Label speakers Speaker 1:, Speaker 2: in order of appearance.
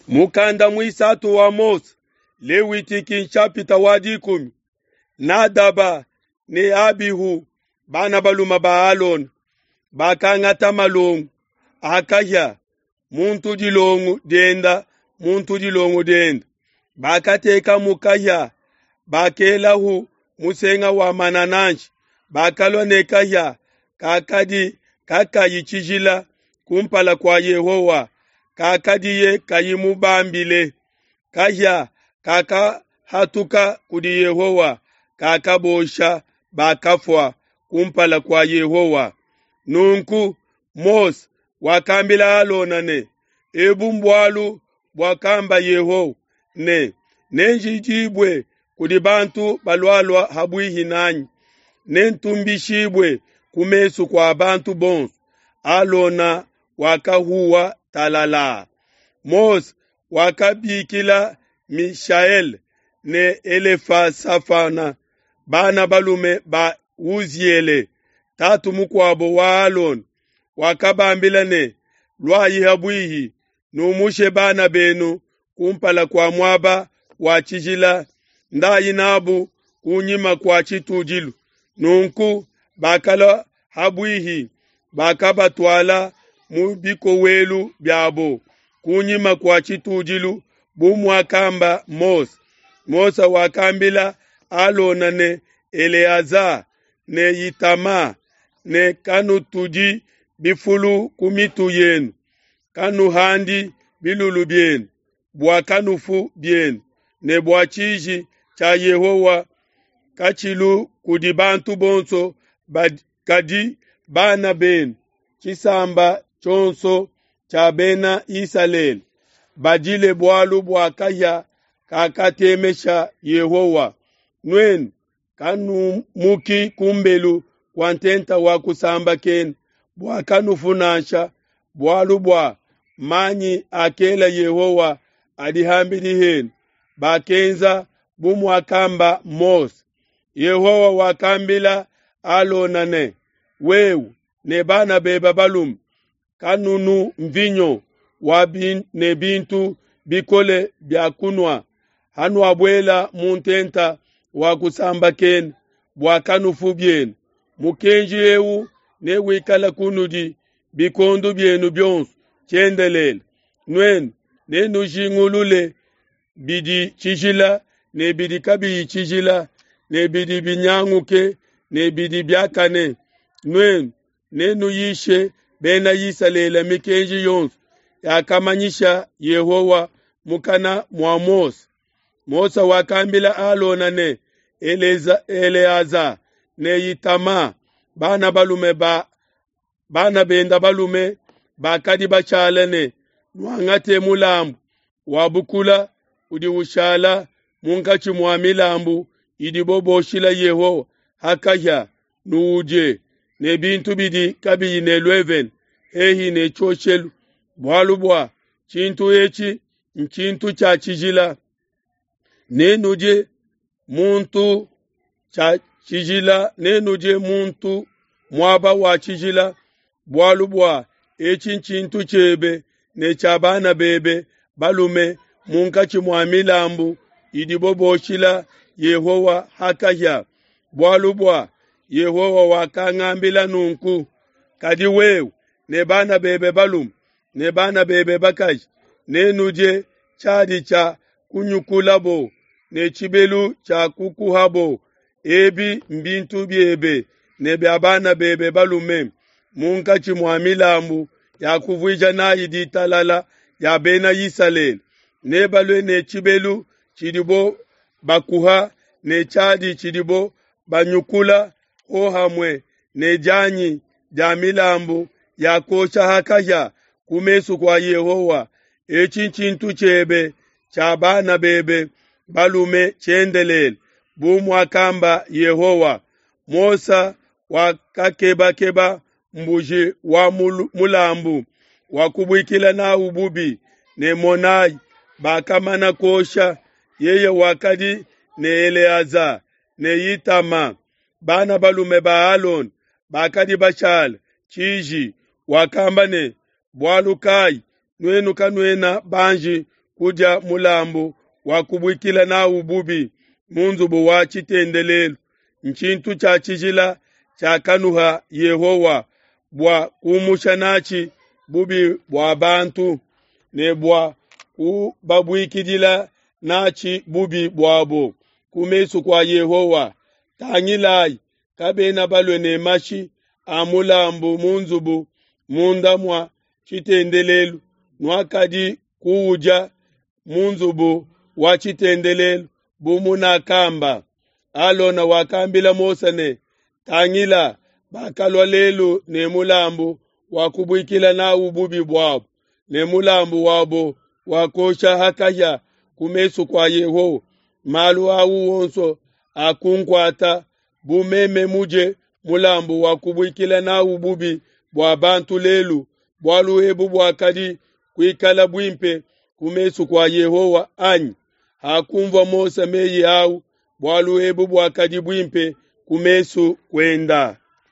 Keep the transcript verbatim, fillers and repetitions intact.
Speaker 1: Mukanda muisatu wa Mose, Lewitiki nshapita wa dikumi, Nadaba ne Abihu bana balume ba Alona bakangata malongo a kahia muntu dilongo dienda muntu dilongo dienda bakatekamu kahia bakelahu musenga wa manananshi bakalua ne kahia kakadi kakayi tshijila kumpala kua Yehowa kakadiye kayi mubambile. Kahia kakahatuka kudi Yehowa kakabosha bakafua kumpala kua Yehowa. Nunku Mose wakambila Alona ne, Ebu mbualu buakamba Yehowa ne, Nenjidibue kudi bantu balualua ha buihi nanyi, nentumbishibue ku mesu kua bantu bonso. Alona wakahuwa talala. Mose wakabikila Mishaele ne Elefasafana bana balume ba Uziele tatu mukuabo wa Alona, wakabambila ne, Luayi ha buihi, numushe bana benu kumpala kua muaba wa tshijila, ndayi nabu kunyima kua tshitudilu. Nunku bakalua ha buihi, bakabatuala mu bikowelu biabo kunyima kua tshitudilu bu muakamba Mose. Mose wakambila Alona ne Eleaza ne Itama ne kanutudi bifulu ku mitu yenu, kanuhandi bilulu bienu, bua kanufu bienu, ne bua tshiji tshia Yehowa katshilu kudi bantu bonso kadi bana benu, tshisamba tshionso tshia bena Isalele, badile bualu bua kahia kakatemesha Yehowa. Nuenu kanumuki kumbelu kua ntenta wa kusambakena, bua kanufu nansha, bualu bua manyi akela Yehowa adi ham'bidi henu. Bakenza bu muakamba Mose. Yehowa wakambila Alona ne, wewe ne bana bebe balume kanunu mvinyo wa bin, ne bintu bikole bia kunua hanuabuela mu ntenta wa kusambakena, bua kanufu bienu. Mukenji eu newikale kunudi bikondo bienu bionso tshiendelele. Nuenu nenujingulule bidi tshijila ne bidi kabiyi tshijila, ne bidi binyanguke ne bidi biakane. Nuenu nenuyishe bena Isalele mikenji yonso yakamanyisha Yehowa mukana mua Mose. Mose wakambila Alona ne Eleza, Eleaza ne Itama bana balume ba bana benda balume bakadi bashala ne, nuangate mulambu wa bukula udi ushala munkatshi mua milambu idibo boshila Yehowa ha kahia, nuudie ne bintu bidi kabiyi ne luevene hehi ne tshioshelu, bualu bua tshintu etshi ntshintu tshia tshijila. Nenudie muntu tshia tshijila, nenudie muntu muaba wa tshijila, bualu bua etshi ntshintu tshiebe ne tshia bana bebe balume munkatshi mua milambu idibo boshila Yehowa ha kahia, bualu bua Yehowa wakangambila nunku. Kadi wewe ne bana bebe balume ne bana bebe bakaji nenudie tshiadi tshia kunyukulabo ne tshibelu tshia kukuhabo. Ebi mbintu biebe ne bia bana bebe balume munkatshi mua milambu ya kuvuija nayi ditalala ya bena Isalele. Nebalue ne tshibelu tshidibo bakuha ne tshiadi tshidibo banyukula hohamue ne dianyi dia milambu ya kuosha ha kahia ku mesu kua Yehowa. Etshi ntshintu tshiebe tshia bana bebe balume tshiendelele, bu muakamba Yehowa. Mose wakakebakeba mbuji wa mulambu wa kubuikila nawu bubi, ne monayi, bakamana kuosha. Yeye wakadi ne Eleaza ne Itama bana balume ba Alona bakadi bashala tshiji. Wakamba ne, bualu kai nuenu kanuena banji kudia mulambu wa kubuikila nawu bubi mu nzubu wa tshitendelelu, ntshintu tshia tshijila tshiakanuha Yehowa bua kumusha natshi bubi bua bantu ne bua kubabuikidila natshi bubi buabo ku mesu kua Yehowa. Tangilayi, kabena balue ne mashi a mulambu mu nzubu munda mua tshitendelelu, nuakadi kuudia mu nzubu wa tshitendelelu bu munakamba. Alona wakambila Mose ne, Tangila, bakalua lelu ne mulambu wa kubuikila nawu bubi buabo, ne mulambu wabo wa kuosha ha kahia ku mesu kua Yehowa. Malu au onso akunkuata bu meme mudie mulambu wa kubuikila nawu bubi bua bantu lelu, bualu ebu buakadi kuikala buimpe ku mesu kua Yehowa anyi? Hakunvua Mose meyi au, bualu ebu buakadi buimpe ku mesu kuenda.